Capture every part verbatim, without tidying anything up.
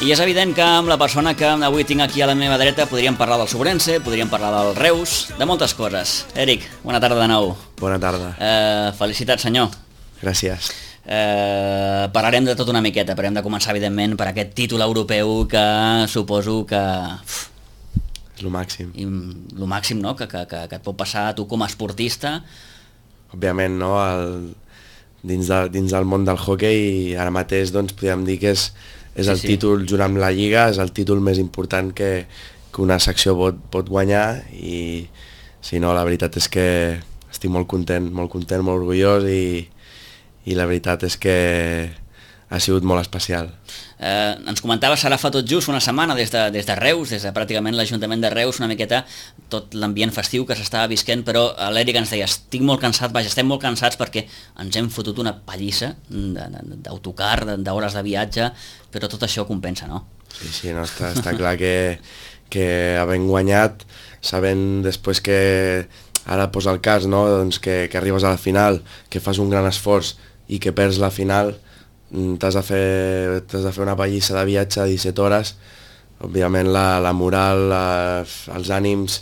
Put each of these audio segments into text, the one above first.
I és evident que amb la persona que avui tinc aquí a la meva dreta podríem parlar del Sobrense, podríem parlar del Reus, de moltes coses. Eric, bona tarda de nou. Bona tarda. Eh, felicitats, senyor. Gràcies. Eh, parlarem de tot una miqueta, però hem de començar, evidentment, per aquest títol europeu que suposo que... Uf, és el màxim. I el màxim, no?, que, que, que, que et pot passar a tu com a esportista. Òbviament, no?, el, dins, de, dins del món del hoquei, ara mateix, doncs, podríem dir que és, és el sí, sí. títol, junt amb la Lliga, és el títol més important que, que una secció pot, pot guanyar, i si no, la veritat és que estic molt content, molt content, molt orgullós, i, i la veritat és que ha sigut molt especial. Eh, ens comentaves ara fa tot just una setmana des de, des de Reus, des de pràcticament l'Ajuntament de Reus, una miqueta tot l'ambient festiu que s'estava visquent, però l'Eric ens deia, estic molt cansat, vaja, estem molt cansats perquè ens hem fotut una pallissa d'autocar, d'hores de viatge, però tot això compensa, no? Sí, sí, no, està, està clar que, que havent guanyat, sabent després que ara posa el cas, no?, doncs que, que arribes a la final, que fas un gran esforç i que perds la final, t'has de fer, t'has de fer una pallissa de viatge de disset hores, òbviament la, la moral, la, els ànims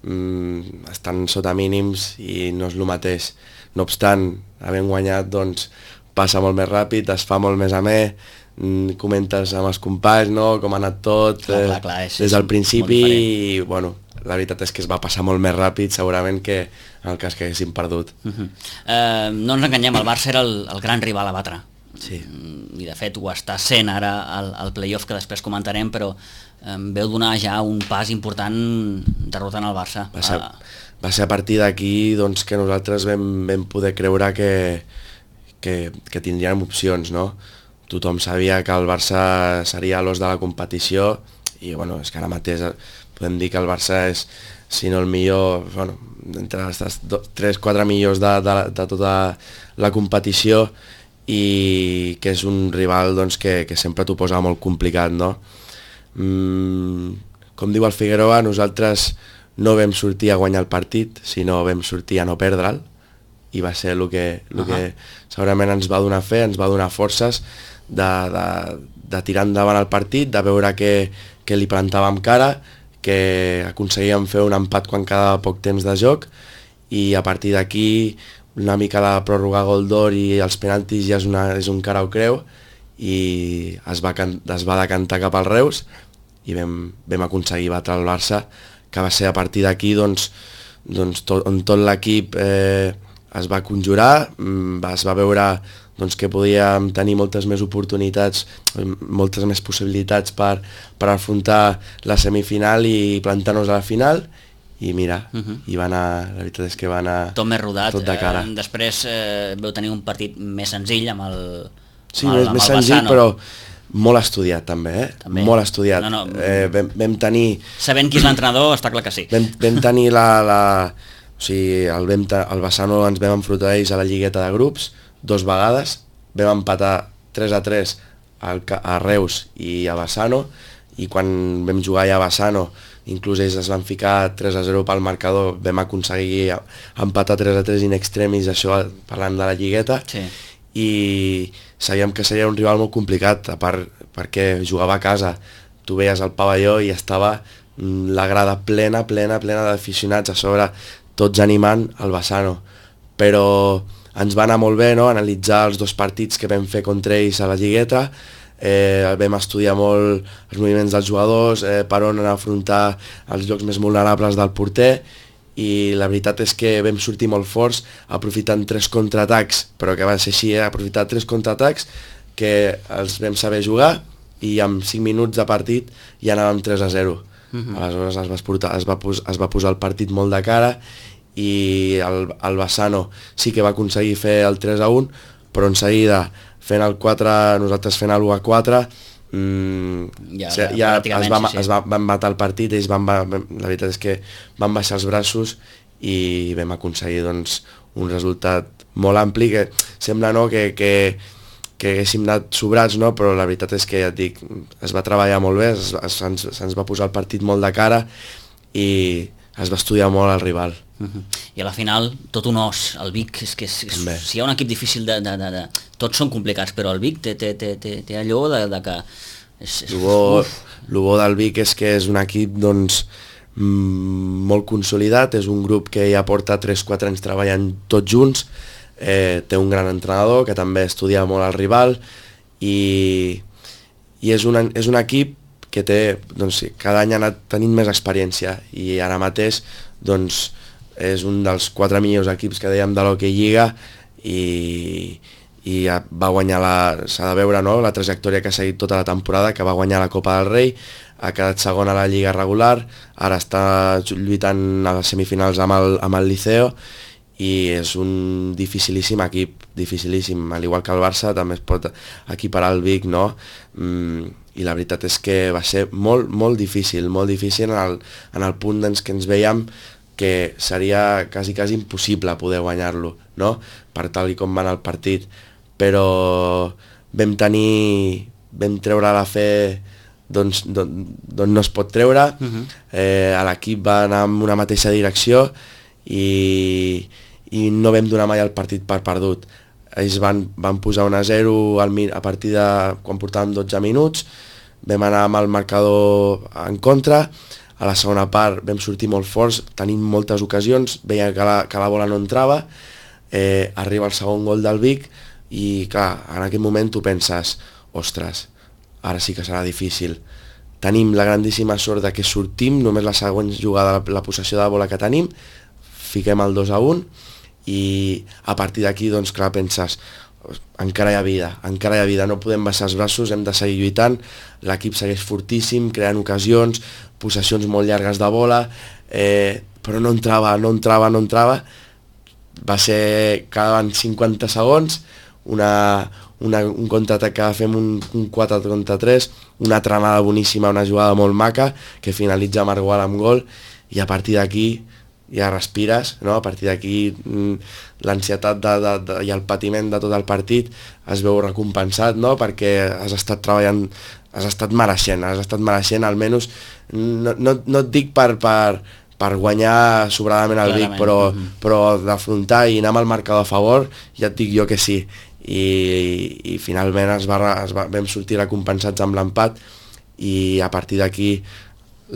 mm, estan sota mínims i no és el mateix. No obstant, havent guanyat, doncs, passa molt més ràpid, es fa molt més amè, mm, comentes amb els companys, no?, com ha anat tot, clar, clar, clar, és, des del principi, i bueno, la veritat és que es va passar molt més ràpid segurament que en el cas que haguéssim perdut. Uh-huh. eh, no ens enganyem, el Barça era el, el gran rival a batre. Sí. I de fet ho està sent ara al, al play-off que després comentarem, però eh, veu donar ja un pas important derrotant el Barça. Va ser, va ser a partir d'aquí, doncs, que nosaltres vam, vam poder creure que, que, que tindríem opcions, no? Tothom sabia que el Barça seria l'os de la competició i bueno, és que ara mateix podem dir que el Barça és, si no el millor, bueno, entre els tres quatre millors de, de, de tota la competició, i que és un rival, doncs, que, que sempre t'ho posa molt complicat, no? Mm, com diu el Figueroa, nosaltres no vam sortir a guanyar el partit, sinó vam sortir a no perdre'l, i va ser el que, el uh-huh. que segurament ens va donar fe, ens va donar forces de, de, de tirar endavant el partit, de veure que, que li plantàvem cara, que aconseguíem fer un empat quan quedava poc temps de joc, i a partir d'aquí una mica la pròrroga gol d'or i els penaltis ja és, una, és un cara o creu, i es va, es va decantar cap al Reus i vam, vam aconseguir batre el Barça, que va ser a partir d'aquí, doncs, doncs tot, on tot l'equip eh, es va conjurar, es va veure, doncs, que podíem tenir moltes més oportunitats, moltes més possibilitats per, per afrontar la semifinal i plantar-nos a la final, i mira, uh-huh. i va anar, la veritat és que va anar tot més rodat, tot de cara. Eh, després eh, veu tenir un partit més senzill amb el Sí, amb el, més, més senzill, Bassano. Però molt estudiat també, eh? També. Molt estudiat. No, no. Eh, vam, vam tenir... Sabent qui és l'entrenador, està clar que sí. Vam, vam tenir la... la o sigui, el, vam, el Bassano ens vam enfrontar ells a la lligueta de grups dos vegades, vam empatar tres a tres al, a Reus i a Bassano, i quan vam jugar ja a Bassano, inclús ells es van ficar tres a zero pel marcador, vam aconseguir empatar tres a tres in extremis, això parlant de la lligueta, sí. I sabíem que seria un rival molt complicat, a part perquè jugava a casa, tu veies el pavelló i estava la grada plena, plena, plena d'aficionats, a sobre tots animant el Bassano, però ens va anar molt bé, no?, analitzar els dos partits que vam fer contra ells a la lligueta. Eh, vam estudiar molt els moviments dels jugadors, eh, per on afrontar els llocs més vulnerables del porter, i la veritat és que vam sortir molt forts aprofitant tres contraatacs, però que va ser així, eh? aprofitar tres contraatacs que els vam saber jugar, i en cinc minuts de partit ja anàvem tres a zero. Uh-huh. Aleshores es va, portar, es, va pos, es va posar el partit molt de cara, i el, el Bassano sí que va aconseguir fer el tres a un, però en seguida fent el quatre, nosaltres fent el u a quatre, mm, ja, ja, ja es, va, sí. es va, van matar el partit, ells van, la veritat és que van baixar els braços i vam aconseguir, doncs, un resultat molt ampli, que sembla, no?, que, que, que haguéssim anat sobrats, no?, però la veritat és que, ja et dic, es va treballar molt bé, se'ns se va posar el partit molt de cara i es va estudiar molt el rival. Uh-huh. I a la final tot un os, el Vic és que és, és, si hi ha un equip difícil de, de, de, de tots són complicats, però el Vic té, té, té, té, té allò de, de que És, és, el bo, el bo del Vic és que és un equip doncs, molt consolidat, és un grup que ja porta tres quatre anys treballant tots junts, eh, té un gran entrenador que també estudia molt el rival i, i és, un, és un equip que té, doncs, cada any ha anat tenint més experiència i ara mateix doncs, és un dels quatre millors equips que dèiem de l'Hockey Lliga i, i va guanyar la, s'ha de veure, no?, la trajectòria que ha seguit tota la temporada, que va guanyar la Copa del Rei, ha quedat segon a la Lliga regular, ara està lluitant a les semifinals amb el, amb el Liceo i és un dificilíssim equip, dificilíssim, al igual que el Barça també es pot equiparar al Vic, no? Mm, i la veritat és que va ser molt, molt difícil, molt difícil en el, en el punt doncs, que ens veiem que seria quasi, quasi impossible poder guanyar-lo, no?, per tal i com va anar el partit, però vam tenir, vam treure la fe d'on no es pot treure, uh-huh. eh, l'equip va anar en una mateixa direcció i, i no vam donar mai el partit per perdut. Ells van, van posar un a zero al, a partir de quan portàvem dotze minuts, vam anar amb el marcador en contra, a la segona part vam sortir molt forts, tenim moltes ocasions, veia que la, que la bola no entrava, eh, arriba el segon gol del Vic i clar, en aquell moment tu penses, ostres, ara sí que serà difícil. Tenim la grandíssima sort de que sortim, només la següent jugada, la, la possessió de la bola que tenim, fiquem el dos a un i a partir d'aquí, doncs clar, penses, encara hi ha vida, encara hi ha vida, no podem baixar els braços, hem de seguir lluitant, l'equip segueix fortíssim, creant ocasions, possessions molt llargues de bola, eh, però no entrava, no entrava, no entrava, va ser, quedaven cinquanta segons, una, una, un contraatac que fem un, un quatre contra tres, una tramada boníssima, una jugada molt maca, que finalitza Margual amb gol, i a partir d'aquí ja respires, no? A partir d'aquí l'ansietat de, de, de, i el patiment de tot el partit es veu recompensat, no? Perquè has estat treballant, has estat mereixent, has estat mereixent, almenys, no, no, no et dic per, per, per guanyar sobradament el Vic, però, uh-huh. però d'afrontar i anar amb el marcador a favor, ja et dic jo que sí. I, i finalment es va, es va, vam sortir recompensats amb l'empat i a partir d'aquí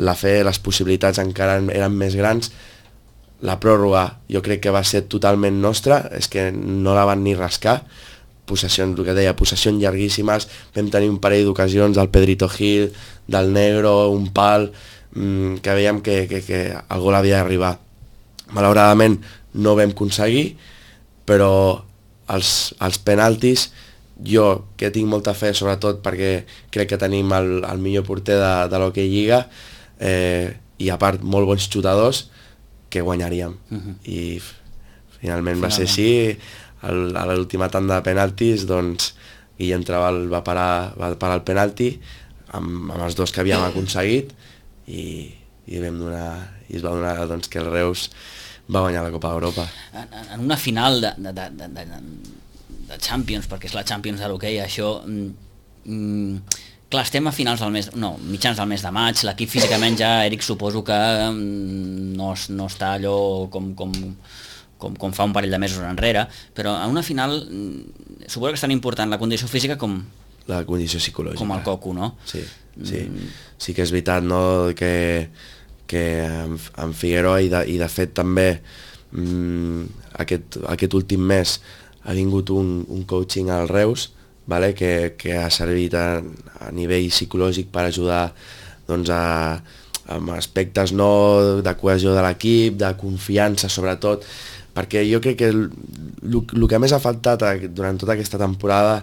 la fe, les possibilitats encara eren més grans. La pròrroga jo crec que va ser totalment nostra, és que no la van ni rascar, possessions, el que deia, possessions llarguíssimes, vam tenir un parell d'ocasions del Pedrito Gil, del Negro, un pal, mmm, que veiem que, que, que el gol havia d'arribar. Malauradament no vam aconseguir, però els, els penaltis, jo que tinc molta fe, sobretot perquè crec que tenim el, el millor porter de, de l'Hockey Lliga, eh, i a part molt bons xutadors, que guanyaríem. Uh-huh. I finalment, finalment va ser així. El, a l'última tanda de penaltis, doncs, Guillem Trabal va parar, va parar el penalti amb, amb els dos que havíem aconseguit i, i, vam donar, i es va donar doncs, que el Reus va guanyar la Copa d'Europa. En, en una final de, de, de, de, de Champions, perquè és la Champions de l'hoquei, això... Mm, clar, estem a finals del mes, no, mitjans del mes de maig, l'equip físicament ja, Eric, suposo que no, no està allò com, com, com, com fa un parell de mesos enrere, però en una final suposo que és tan important la condició física com... La condició psicològica. Com el coco, no? Sí, sí, mm. sí que és veritat, no?, que, que en, en Figueroa i de, i de fet també mmm, aquest, aquest últim mes ha vingut un, un coaching al Reus, vale? que, que ha servit a, a nivell psicològic per ajudar doncs, a, amb aspectes no, de cohesió de l'equip, de confiança sobretot, perquè jo crec que el, el, el que més ha faltat durant tota aquesta temporada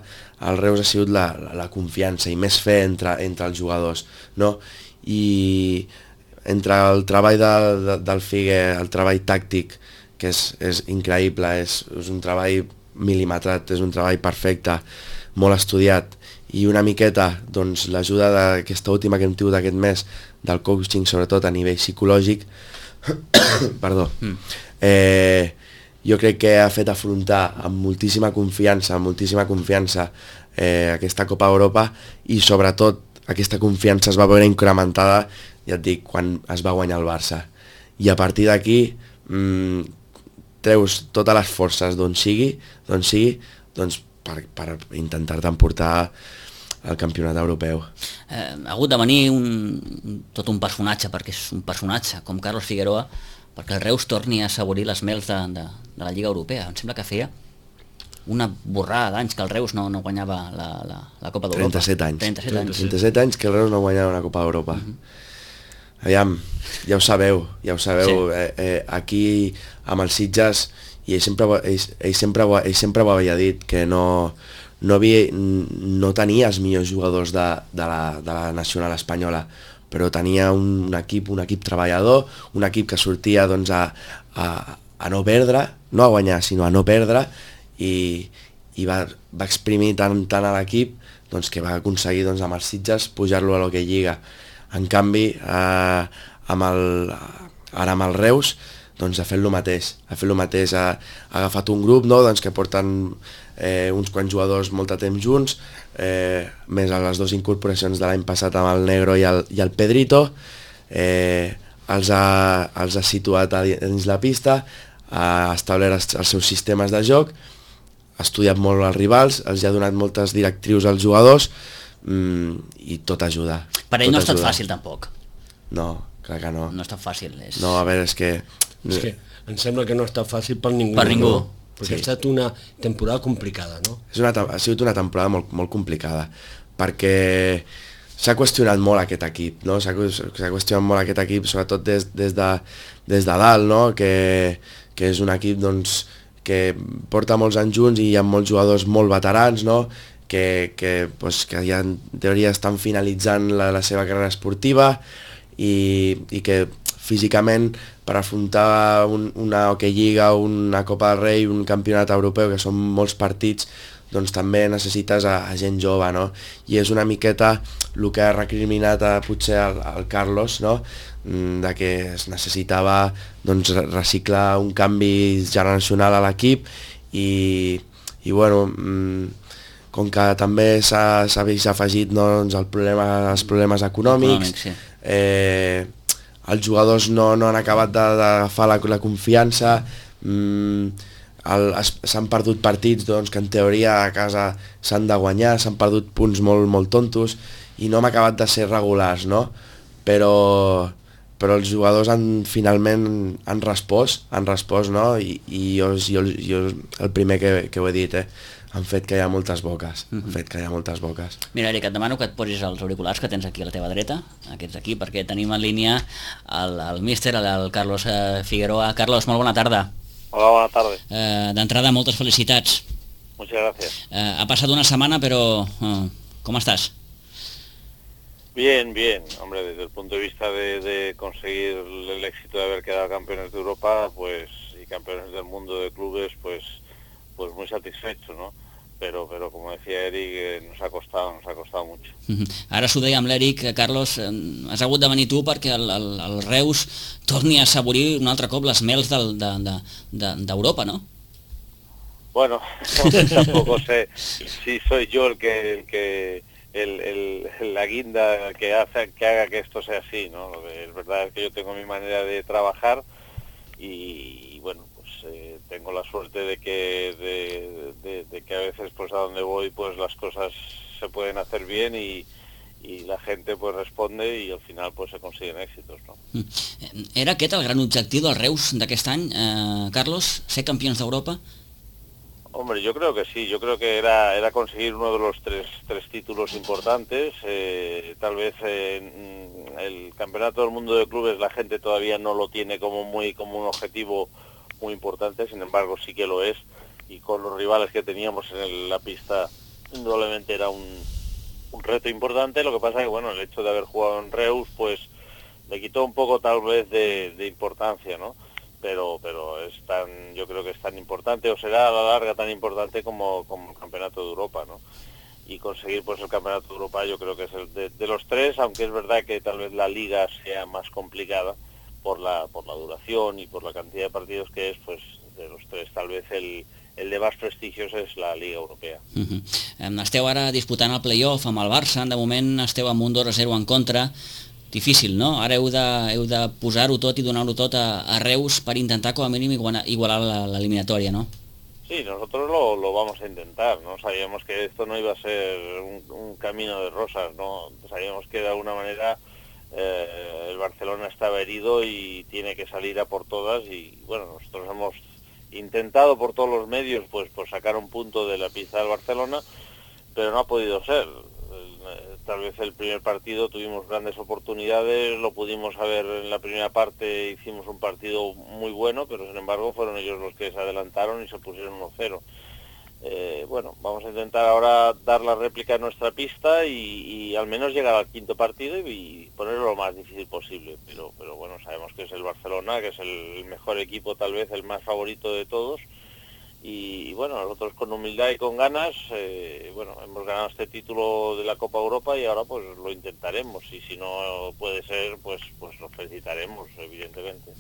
al Reus ha sigut la, la, la confiança i més fe entre, entre els jugadors, no? I entre el treball de, de, del Figue, el treball tàctic, que és, és increïble, és, és un treball mil·limetrat, és un treball perfecte, molt estudiat, i una miqueta doncs, l'ajuda d'aquesta última que hem tingut aquest mes del coaching, sobretot a nivell psicològic, perdó, mm. eh, jo crec que ha fet afrontar amb moltíssima confiança, amb moltíssima confiança eh, aquesta Copa d'Europa, i sobretot aquesta confiança es va veure incrementada, ja et dic, quan es va guanyar el Barça. I a partir d'aquí mmm, treus totes les forces d'on sigui, d'on sigui, doncs per, per intentar-te emportar al campionat europeu. Eh, ha hagut de venir un, tot un personatge, perquè és un personatge, com Carlos Figueroa, perquè el Reus torni a assaborir les mels de, de, de la Lliga Europea. Em sembla que feia una borrada d'anys que el Reus no, no guanyava la, la, la Copa d'Europa. trenta-set anys. trenta-set anys. trenta-set anys que el Reus no guanyava una Copa d'Europa. Uh -huh. Aviam, ja ho sabeu, ja ho sabeu. Sí. Eh, eh, aquí, amb els Sitges, i ell sempre, ell, ell sempre, ell sempre ho havia dit, que no, no, havia, no tenia els millors jugadors de, de, la, de la nacional espanyola, però tenia un, un equip un equip treballador, un equip que sortia doncs, a, a, a no perdre, no a guanyar, sinó a no perdre, i, i va, va exprimir tant, tant a l'equip doncs, que va aconseguir doncs, amb els Sitges pujar-lo a l'Hockey Lliga. En canvi, eh, amb el, ara amb el Reus, doncs ha fet el mateix, ha fet el mateix, ha, ha agafat un grup, no?, doncs, que porten eh, uns quants jugadors molt de temps junts, eh, més a les dues incorporacions de l'any passat amb el Negro i el, i el Pedrito, eh, els, ha, els ha situat a dins la pista, ha establert els, els seus sistemes de joc, ha estudiat molt els rivals, els ha donat moltes directrius als jugadors, mm, i tot ajuda. Per ell tot no ha estat ajuda. fàcil tampoc. No, clar que no. No ha estat fàcil. És... No, a veure, és que... És que em sembla que no ha estat fàcil per ningú. Per ningú. No? Perquè sí. Ha estat una temporada complicada, no? És una, ha sigut una temporada molt, molt complicada, perquè s'ha qüestionat molt aquest equip, no? S'ha qüestionat molt aquest equip, sobretot des, des, de, des de dalt, no? Que, que és un equip doncs, que porta molts anys junts i hi ha molts jugadors molt veterans, no? que, que, pues, que ja en teoria estan finalitzant la, la seva carrera esportiva i, i que físicament per afrontar un, una Hockey Lliga, una Copa del Rei, un campionat europeu, que són molts partits, doncs també necessites a, a gent jove, no? I és una miqueta el que ha recriminat a, potser al, al Carlos, no? De que es necessitava doncs, reciclar un canvi generacional a l'equip i, i bueno, com que també s'ha afegit no, doncs, el problema, els problemes econòmics, Econòmic, sí. eh, els jugadors no, no han acabat d'agafar la, la confiança, mm, s'han perdut partits doncs, que en teoria a casa s'han de guanyar, s'han perdut punts molt, molt tontos i no hem acabat de ser regulars, no? Però, però els jugadors han, finalment han respost, han respost, no? I, i jo, jo, jo el primer que, que ho he dit, eh? Han fet que hi ha moltes boques, mm -hmm. han fet que hi ha moltes boques. Mira, Eric, et demano que et posis els auriculars que tens aquí a la teva dreta, aquests aquí, perquè tenim en línia el, el míster, el, el Carlos eh, Figueroa. Carlos, molt bona tarda. Hola, buenas tardes. Eh, D'entrada, moltes felicitats. Muchas gracias. Eh, ha passat una setmana, però eh, ¿cómo estás? Bien, bien. Hombre, desde el punto de vista de, de conseguir el éxito de haber quedado campeones de Europa, pues, y campeones del mundo de clubes, pues, pues muy satisfecho, ¿no? Pero, pero como decía Eric, eh, nos ha costado, nos ha costado mucho. Uh-huh. Ara s'ho deia amb l'Eric, Carlos, eh, has hagut de venir tu perquè el, el, el Reus torni a assaborir un altre cop les mels del, de, de, de, d'Europa, ¿no? Bueno, tampoco sé si soy yo el que, el que el, el, la guinda que hace que haga que esto sea así, ¿no? Es verdad que yo tengo mi manera de trabajar y, y bueno, pues eh, tengo la suerte de que de, de, de que a veces pues a donde voy pues las cosas se pueden hacer bien y, y la gente pues responde y al final pues se consiguen éxitos, ¿no? Era aquest el gran objectiu del Reus d'aquest any, eh, Carlos, ser campions d'Europa? Hombre, yo creo que sí, yo creo que era era conseguir uno de los tres, tres títulos importantes, eh, tal vez eh, el campeonato del mundo de clubes la gente todavía no lo tiene como muy como un objetivo muy importante, sin embargo sí que lo es, y con los rivales que teníamos en el, la pista indudablemente era un, un reto importante. Lo que pasa es que bueno, el hecho de haber jugado en Reus pues le quitó un poco tal vez de, de importancia, ¿no? pero pero es tan, yo creo que es tan importante, o será a la larga tan importante como, como el Campeonato de Europa, ¿no? Y conseguir pues el Campeonato de Europa yo creo que es el de, de los tres, aunque es verdad que tal vez la Liga sea más complicada por la por la duración y por la cantidad de partidos que es, pues de los tres tal vez el, el de más prestigios és la Liga Europea. Uh-huh. Esteu ara disputant el play-off amb el Barça, de moment esteu amb un dos a zero en contra. Difícil, no? Ara heu de, heu de posar-ho tot i donar-ho tot a, a Reus per intentar com a mínim igualar, igualar l'eliminatòria, no? Sí, nosotros lo, lo vamos a intentar, ¿no? Sabíamos que esto no iba a ser un, un camino de rosas, ¿no? Sabíamos que de alguna manera eh, el Barcelona estaba herido y tiene que salir a por todas y, bueno, nosotros hemos intentado por todos los medios, pues, pues sacar un punto de la pista del Barcelona, pero no ha podido ser. Tal vez el primer partido tuvimos grandes oportunidades, lo pudimos haber en la primera parte, hicimos un partido muy bueno, pero sin embargo fueron ellos los que se adelantaron y se pusieron uno cero. Eh, bueno, vamos a intentar ahora dar la réplica a nuestra pista y, y al menos llegar al quinto partido y, y ponerlo lo más difícil posible. Pero, pero bueno, sabemos que es el Barcelona, que es el mejor equipo, tal vez el más favorito de todos. Y, y bueno, nosotros con humildad y con ganas, eh, bueno, hemos ganado este título de la Copa Europa y ahora pues lo intentaremos y si no puede ser, pues pues nos felicitaremos, evidentemente.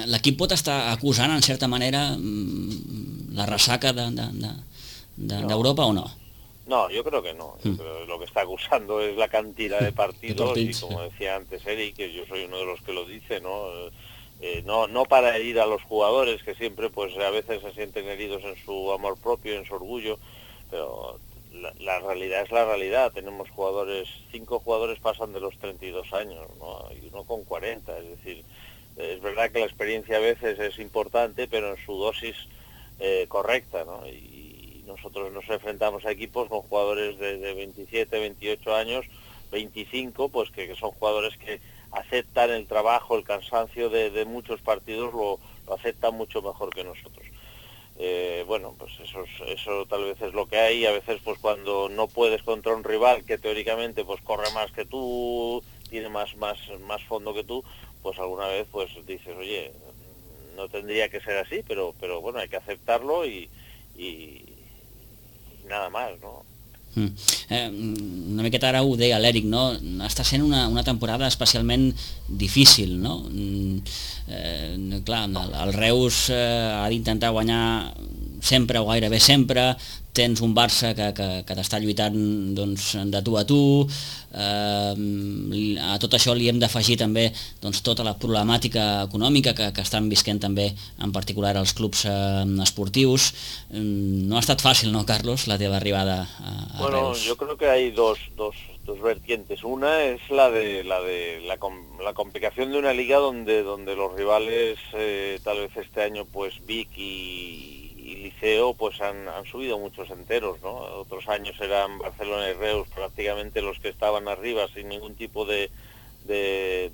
L'equip pot estar acusant, en certa manera, la ressaca d'Europa de, de, de, de no. o no? No, yo creo que no. Yo creo que lo que está acusando es la cantidad de partidos y como decía antes Eric, que yo soy uno de los que lo dice, ¿no? Eh, no no para herir a los jugadores, que siempre pues a veces se sienten heridos en su amor propio, en su orgullo, pero la, la realidad es la realidad. Tenemos jugadores, cinco jugadores pasan de los treinta y dos años, ¿no? Y uno con cuarenta, es decir, es verdad que la experiencia a veces es importante, pero en su dosis eh, correcta, ¿no? Y nosotros nos enfrentamos a equipos con jugadores de, de veintisiete, veintiocho años, veinticinco, pues que, que son jugadores que aceptan el trabajo, el cansancio de, de muchos partidos, lo, lo aceptan mucho mejor que nosotros. Eh, bueno, pues eso, es, eso tal vez es lo que hay. A veces pues cuando no puedes contra un rival que teóricamente pues corre más que tú, tiene más, más, más fondo que tú, pues alguna vez pues dices, oye, no tendría que ser así, pero, pero bueno, hay que aceptarlo y, y, y nada más, ¿no? Mm. Eh, una miqueta ara ho deia l'Eric, no? Està sent una, una temporada especialment difícil, no? Eh, clar, el, el Reus eh, ha d'intentar guanyar sempre o gairebé sempre, tens un Barça que, que, que t'està lluitant doncs, de tu a tu, eh, a tot això li hem d'afegir també doncs, tota la problemàtica econòmica que, que estan visquent també en particular els clubs eh, esportius. No ha estat fàcil, ¿no, Carlos, la teva arribada a, a bueno, Reus? Yo creo que hay dos, dos, dos vertientes. Una es la de la de la, la complicación de una liga donde donde los rivales eh, tal vez este año pues Vic y y Liceo pues han, han subido muchos enteros, ¿no? Otros años eran Barcelona y Reus prácticamente los que estaban arriba sin ningún tipo de, de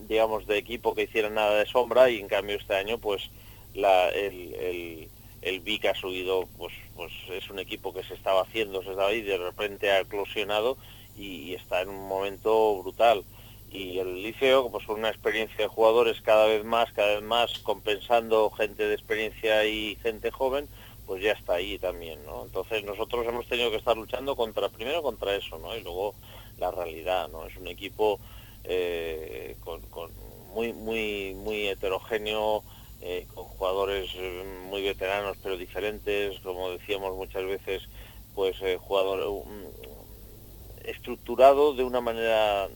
digamos de equipo que hiciera nada de sombra y en cambio este año pues la, el, el, el Vic ha subido, pues pues es un equipo que se estaba haciendo, se estaba ahí, de repente ha eclosionado y, y está en un momento brutal. Y el Liceo, pues con una experiencia de jugadores cada vez más, cada vez más, compensando gente de experiencia y gente joven, pues ya está ahí también, ¿no? Entonces nosotros hemos tenido que estar luchando contra, primero contra eso, ¿no? Y luego la realidad, ¿no? Es un equipo eh, con, con muy, muy, muy heterogéneo, eh, con jugadores muy veteranos pero diferentes, como decíamos muchas veces, pues eh, jugador um, estructurado de una manera,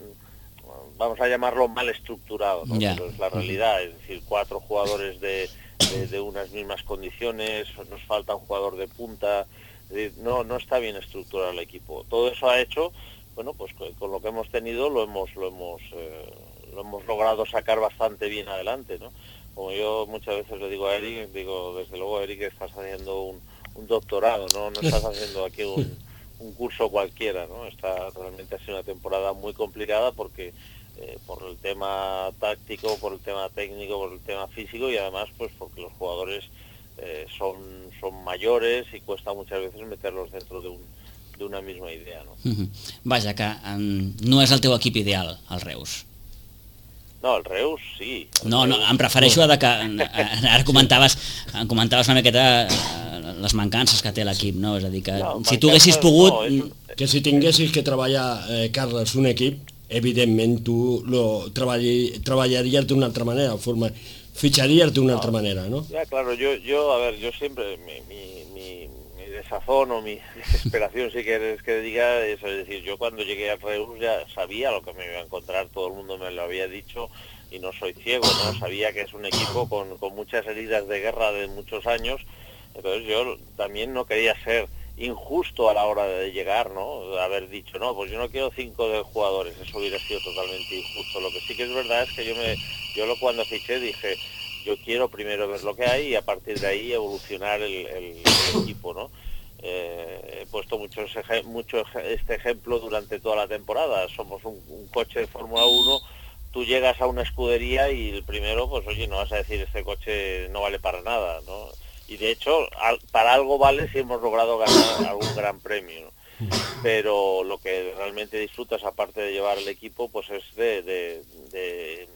vamos a llamarlo mal estructurado, ¿no? Yeah. Pero es la realidad, es decir, cuatro jugadores de, de, de unas mismas condiciones, nos falta un jugador de punta, es decir, no, no está bien estructurado el equipo. Todo eso ha hecho, bueno, pues con lo que hemos tenido lo hemos, lo hemos, eh, lo hemos logrado sacar bastante bien adelante, ¿no? Como yo muchas veces le digo a Eric, digo, desde luego Eric, estás haciendo un, un doctorado, ¿no? No estás haciendo aquí un, un curso cualquiera, ¿no? Está realmente ha sido una temporada muy complicada porque Eh, por el tema táctico, por el tema técnico, por el tema físico y además pues porque los jugadores eh, son, son mayores y cuesta muchas veces meterlos dentro de, un, de una misma idea, ¿no? Uh-huh. Vaja, que um, no és el teu equip ideal, el Reus. No, el Reus sí. El no, Reus... no, em refereixo a de que ara comentaves, comentaves una miqueta les mancances que té l'equip, no? És a dir, que no, si tu haguessis pogut... No, un... Que si tinguessis que treballar, eh, Carles, un equip, evidentment tu lo treballi, treballaries d'una altra manera, forma, ficharías de una no, otra manera, ¿no? Ya, claro, yo, yo a ver, yo siempre, mi, mi, mi, mi desazón o mi desesperación, si quieres que diga, es, es decir, yo cuando llegué a Reus ya sabía lo que me iba a encontrar, todo el mundo me lo había dicho y no soy ciego, ¿no? Sabía que es un equipo con, con muchas heridas de guerra de muchos años, Entonces yo también no quería ser injusto a la hora de llegar, ¿no? Haber dicho, no, pues yo no quiero cinco de jugadores, eso hubiera sido totalmente injusto. Lo que sí que es verdad es que yo me, yo lo cuando fiché dije, yo quiero primero ver lo que hay y a partir de ahí evolucionar el, el, el equipo, ¿no? Eh, he puesto muchos mucho este ejemplo durante toda la temporada. Somos un, un coche de Fórmula uno, tú llegas a una escudería y el primero, pues oye, no vas a decir este coche no vale para nada, ¿no? Y de hecho, al, para algo vale si hemos logrado ganar algún gran premio, ¿no? Pero lo que realmente disfrutas, aparte de llevar el equipo, pues es de, de, de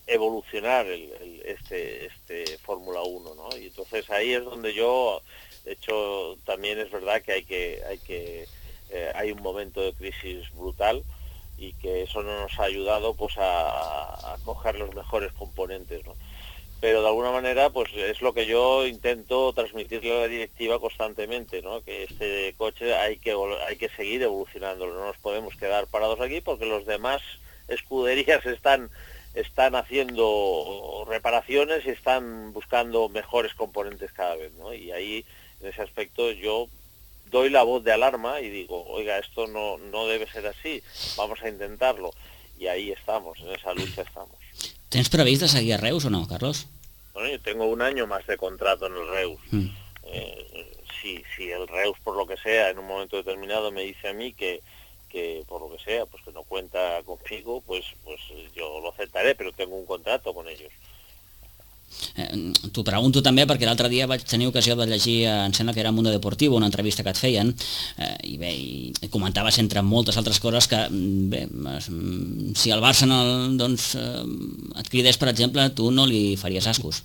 evolucionar el, el, este, este Fórmula uno, ¿no? Y entonces ahí es donde yo, de hecho, también es verdad que hay que, hay que, eh, hay un momento de crisis brutal y que eso no nos ha ayudado pues a, a coger los mejores componentes, ¿no? Pero de alguna manera pues es lo que yo intento transmitirle a la directiva constantemente, ¿no? Que este coche hay que hay que seguir evolucionándolo, no nos podemos quedar parados aquí porque los demás escuderías están están haciendo reparaciones y están buscando mejores componentes cada vez, ¿no? Y ahí en ese aspecto yo doy la voz de alarma y digo, oiga, esto no no debe ser así, vamos a intentarlo. Y ahí estamos, en esa lucha estamos. Tens previst de seguir a Reus o no, Carlos? Bueno, yo tengo un año más de contrato en el Reus. Mm. Eh, si, si el Reus, por lo que sea, en un momento determinado me dice a mí que, que por lo que sea, pues que no cuenta conmigo, pues, pues yo lo aceptaré, pero tengo un contrato con ellos. Eh, T'ho pregunto també perquè l'altre dia vaig tenir ocasió de llegir, em sembla que era Mundo Deportivo, una entrevista que et feien, eh, i bé, i comentaves entre moltes altres coses que, bé, si el Barça no, doncs, eh, et cridés, per exemple, tu no li faries ascos.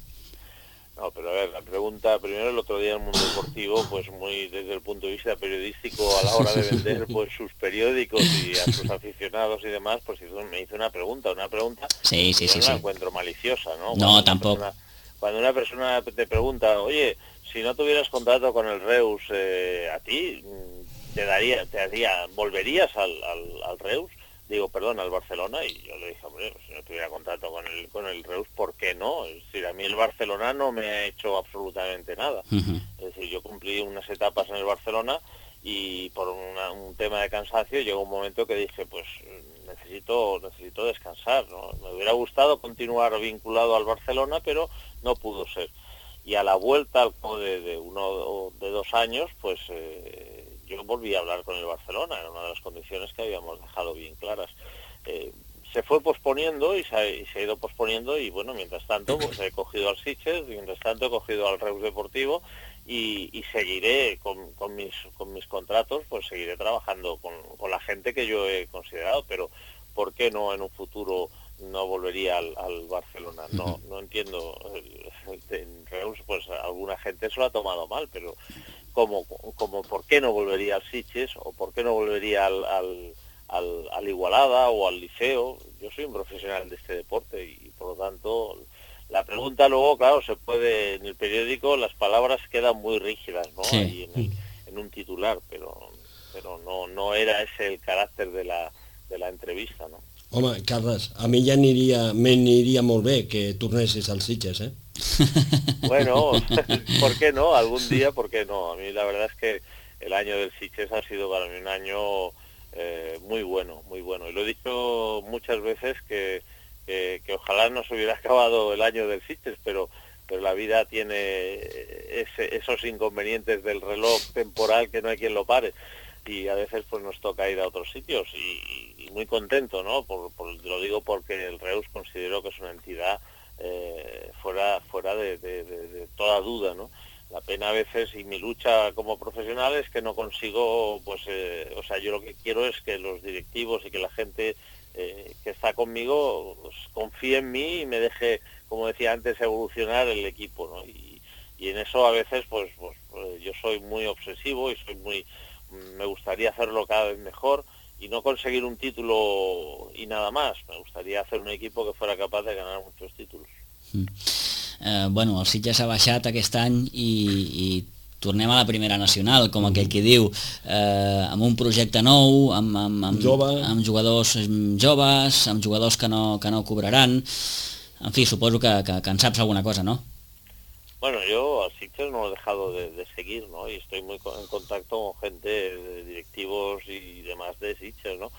No, pero a ver, la pregunta, primero el otro día en Mundo Deportivo, pues muy desde el punto de vista periodístico, a la hora de vender pues sus periódicos y a sus aficionados y demás, pues hizo, me hizo una pregunta, una pregunta sí, sí, que sí, yo no la sí. encuentro maliciosa, ¿no? No, Cuando tampoco. Una persona, cuando una persona te pregunta, oye, si no tuvieras contrato con el Reus, eh, a ti te daría, te daría, ¿volverías al, al, al Reus? Digo, perdón, al Barcelona, y yo le dije, hombre, si no tuviera contrato con el con el Reus, ¿por qué no? Es decir, a mí el Barcelona no me ha hecho absolutamente nada. Uh-huh. Es decir, yo cumplí unas etapas en el Barcelona y por una, un tema de cansancio llegó un momento que dije, pues necesito necesito descansar, ¿no? Me hubiera gustado continuar vinculado al Barcelona, pero no pudo ser. Y a la vuelta, al cabo de, de uno o de dos años, pues... Eh, yo volví a hablar con el Barcelona, era una de las condiciones que habíamos dejado bien claras. Eh, se fue posponiendo y se, ha, y se ha ido posponiendo y bueno, mientras tanto pues he cogido al Sitges, mientras tanto he cogido al Reus Deportivo y, y seguiré con, con, mis, con mis contratos, pues seguiré trabajando con, con la gente que yo he considerado, pero ¿por qué no en un futuro no volvería al, al Barcelona? No, no entiendo. En Reus pues alguna gente se lo ha tomado mal, pero... Como, como por qué no volvería al Sitges o por qué no volvería al, al, al, al Igualada o al Liceo. Yo soy un profesional de este deporte y por lo tanto la pregunta luego, claro, se puede, en el periódico las palabras quedan muy rígidas, ¿no? Sí. Ahí en, el, en un titular, pero pero no no era ese el carácter de la, de la entrevista, ¿no? Home, Carles, a mi ja aniria, m'aniria molt bé que tornessis al Sitges, eh? Bueno, ¿por qué no? Algún día, ¿por qué no? A mí la verdad es que el año del Sitges ha sido para mí un año eh, muy bueno, muy bueno. Y lo he dicho muchas veces que, que, que ojalá no se hubiera acabado el año del Sitges, pero, pero la vida tiene ese, esos inconvenientes del reloj temporal que no hay quien lo pare. Y a veces pues nos toca ir a otros sitios y, y muy contento, ¿no? Por, por, lo digo porque el Reus considero que es una entidad eh, fuera fuera de, de, de, de toda duda, ¿no? La pena a veces y mi lucha como profesional es que no consigo, pues, eh, o sea, yo lo que quiero es que los directivos y que la gente eh, que está conmigo pues, confíe en mí y me deje, como decía antes, evolucionar el equipo, ¿no? Y, y en eso a veces pues, pues, pues yo soy muy obsesivo y soy muy me gustaría hacerlo cada vez mejor y no conseguir un título y nada más. Me gustaría hacer un equipo que fuera capaz de ganar muchos títulos. Mm. Eh, bueno, el Sitges ha baixat aquest any i, i tornem a la primera nacional, com aquell que diu, eh, amb un projecte nou, amb, amb, amb, Jove. amb jugadors joves, amb jugadors que no, que no cobraran. En fi, suposo que, que, que en saps alguna cosa, no? Bueno, yo al Sitges no lo he dejado de, de seguir, ¿no? Y estoy muy en contacto con gente, de directivos y demás de Sitges, ¿no?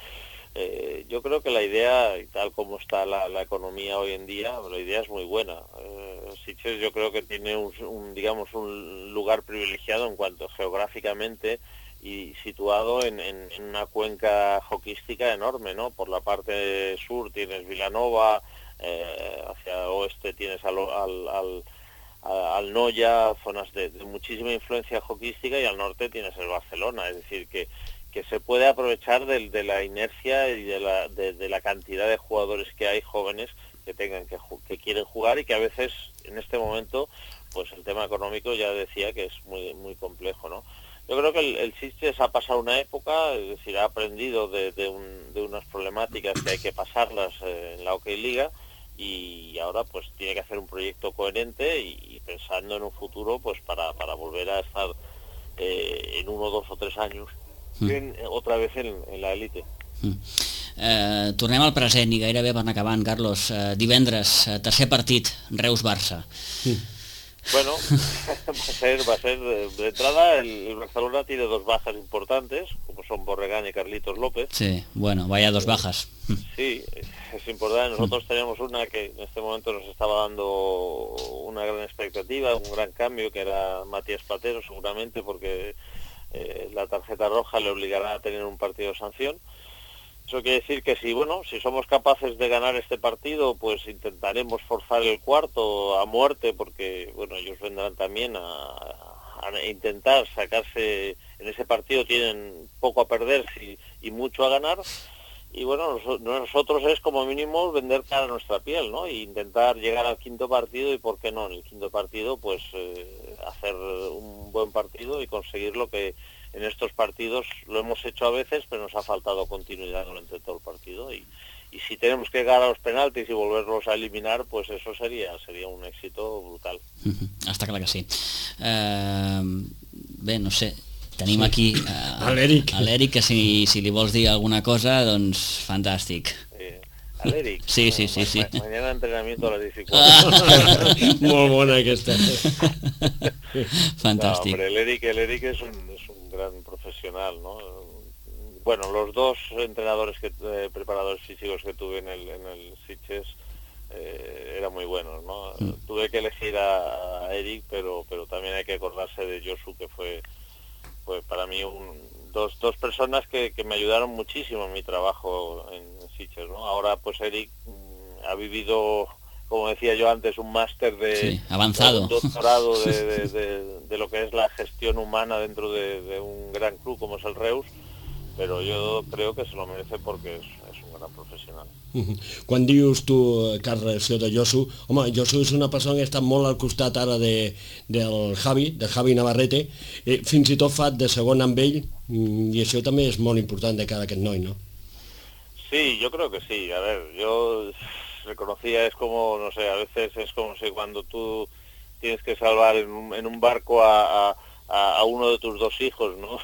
Eh, yo creo que la idea, y tal como está la, la economía hoy en día, la idea es muy buena. Eh, Sitges yo creo que tiene un, un, digamos, un lugar privilegiado en cuanto geográficamente y situado en, en, en una cuenca hoquística enorme, ¿no? Por la parte sur tienes Vilanova, eh, hacia oeste tienes al, al, al al Noya, zonas de, de muchísima influencia hoquística, y al norte tienes el Barcelona, es decir, que, que se puede aprovechar de, de la inercia y de la, de, de la cantidad de jugadores que hay jóvenes que tengan que, que quieren jugar, y que a veces en este momento pues el tema económico ya decía que es muy muy complejo, ¿no? Yo creo que el, el Sitges ha pasado una época, es decir, ha aprendido de, de, un, de unas problemáticas que hay que pasarlas eh, en la OK Liga, y ahora pues tiene que hacer un proyecto coherente y, y pensando en un futuro pues para, para volver a estar eh, en uno, dos o tres años mm. en, otra vez en, en la élite. Mm. Eh, tornem al present i gairebé per anar acabant, Carlos. Eh, divendres, eh, tercer partit, Reus-Barça. Mm. Bueno, va a ser, va a ser de entrada, el, el Barcelona tiene dos bajas importantes, como son Borregán y Carlitos López. Sí, bueno, vaya dos bajas. Sí, es importante. Nosotros teníamos una que en este momento nos estaba dando una gran expectativa, un gran cambio, que era Matías Platero, seguramente, porque eh, la tarjeta roja le obligará a tener un partido de sanción. Eso quiere decir que si, bueno, si somos capaces de ganar este partido, pues intentaremos forzar el cuarto a muerte, porque, bueno, ellos vendrán también a, a intentar sacarse, en ese partido tienen poco a perder y, y mucho a ganar, y bueno, nosotros es como mínimo vender cara a nuestra piel, ¿no? E intentar llegar al quinto partido, y por qué no, en el quinto partido, pues eh, hacer un buen partido y conseguir lo que en estos partidos lo hemos hecho a veces, pero nos ha faltado continuidad durante todo el partido, y, y si tenemos que llegar a los penaltis y volverlos a eliminar, pues eso sería sería un éxito brutal. Mm-hmm. Està clar que sí. Uh, bé, no sé, tenim sí. aquí uh, a l'Eric, a l'Eric, que si, si li vols dir alguna cosa, doncs fantàstic. Eh, a l'Eric? Sí, sí, sí, sí. Ma mañana entrenamiento a las dificultades. Molt bona aquesta. Fantàstic. No, hombre, el Eric, el Eric es un, es un gran profesional, ¿no? Bueno, los dos entrenadores, que eh, preparadores físicos que tuve en el, en el Sitges eh, eran muy buenos, ¿no? Mm. Tuve que elegir a, a Eric, pero pero también hay que acordarse de Josu, que fue, fue para mí un, dos, dos personas que, que me ayudaron muchísimo en mi trabajo en Sitges, ¿no? Ahora pues Eric mm, ha vivido, como decía yo antes, un máster de, sí, avanzado, un doctorado de, de, de, de lo que es la gestión humana dentro de, de un gran club como es el Reus, pero yo creo que se lo merece porque es, es un gran professional. Uh-huh. Quan dius tu, Carles, de Josu, home, Josu és una persona que està molt al costat ara de, del Javi, del Javi Navarrete, eh, fins i tot fa de segon amb ell, i això també és molt important de cara a aquest noi, ¿no? Sí, yo creo que sí. A ver, yo reconocía, es como, no sé, a veces es como si cuando tú tienes que salvar en un, en un barco a, a, a uno de tus dos hijos, ¿no?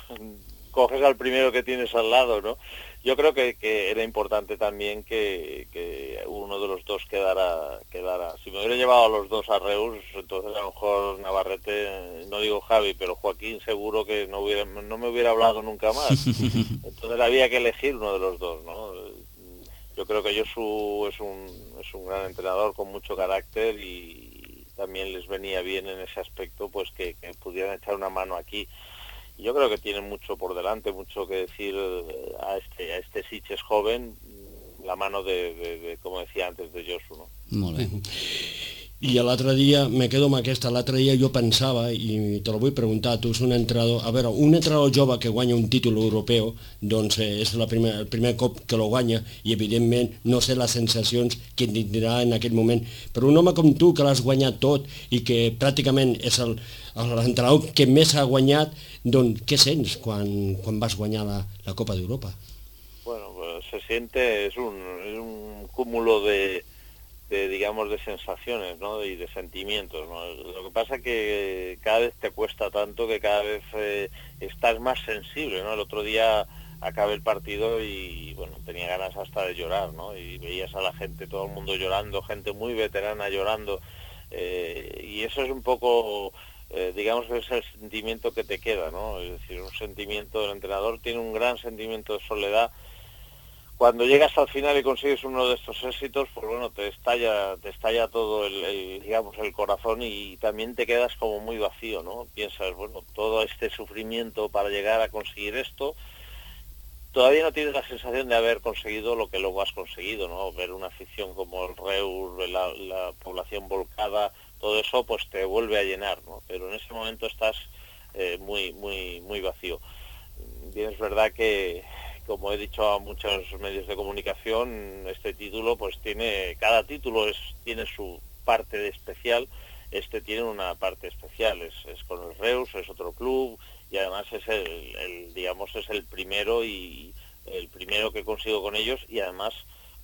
Coges al primero que tienes al lado, ¿no? Yo creo que, que era importante también que, que uno de los dos quedara, quedara. Si me hubiera llevado a los dos a Reus, entonces a lo mejor Navarrete, no digo Javi, pero Joaquín seguro que no hubiera, no me hubiera hablado nunca más. Entonces había que elegir uno de los dos, ¿no? Yo creo que Josu es un, es un gran entrenador con mucho carácter, y también les venía bien en ese aspecto, pues que, que pudieran echar una mano aquí. Yo creo que tienen mucho por delante, mucho que decir a este, a este Sitges joven, la mano de, de, de, como decía antes, de Josu, ¿no? Molt bé. I l'altre dia, me quedo amb aquesta, l'altre dia jo pensava, i te lo vull preguntar, tu és un entrenador, a veure, un entrenador jove que guanya un títol europeu, doncs eh, és la primer, el primer cop que lo guanya, i evidentment no sé les sensacions que tindrà en aquest moment, però un home com tu, que l'has guanyat tot, i que pràcticament és el, l'entrenador que més ha guanyat, doncs què sents quan, quan vas guanyar la, la Copa d'Europa? Bueno, pues se siente, es un, es un cúmulo de... de, digamos, de sensaciones, ¿no? Y de sentimientos, ¿no? Lo que pasa que cada vez te cuesta tanto que cada vez eh, estás más sensible, ¿no? El otro día acabé el partido y, bueno, tenía ganas hasta de llorar, ¿no? Y veías a la gente, todo el mundo llorando, gente muy veterana llorando. Eh, y eso es un poco, eh, digamos que es el sentimiento que te queda, ¿no? Es decir, un sentimiento, el entrenador tiene un gran sentimiento de soledad. Cuando llegas al final y consigues uno de estos éxitos, pues bueno, te estalla, te estalla todo el, el, digamos, el corazón, y también te quedas como muy vacío, ¿no? Piensas, bueno, todo este sufrimiento para llegar a conseguir esto, todavía no tienes la sensación de haber conseguido lo que luego has conseguido, ¿no? Ver una afición como el Reus, la, la población volcada, todo eso pues te vuelve a llenar, ¿no? Pero en ese momento estás eh, muy, muy, muy vacío. Bien, es verdad que, como he dicho a muchos medios de comunicación, este título pues tiene, cada título es, tiene su parte de especial. Este tiene una parte especial, es, es con el Reus, es otro club, y además es el, el, digamos, es el primero y el primero que consigo con ellos, y además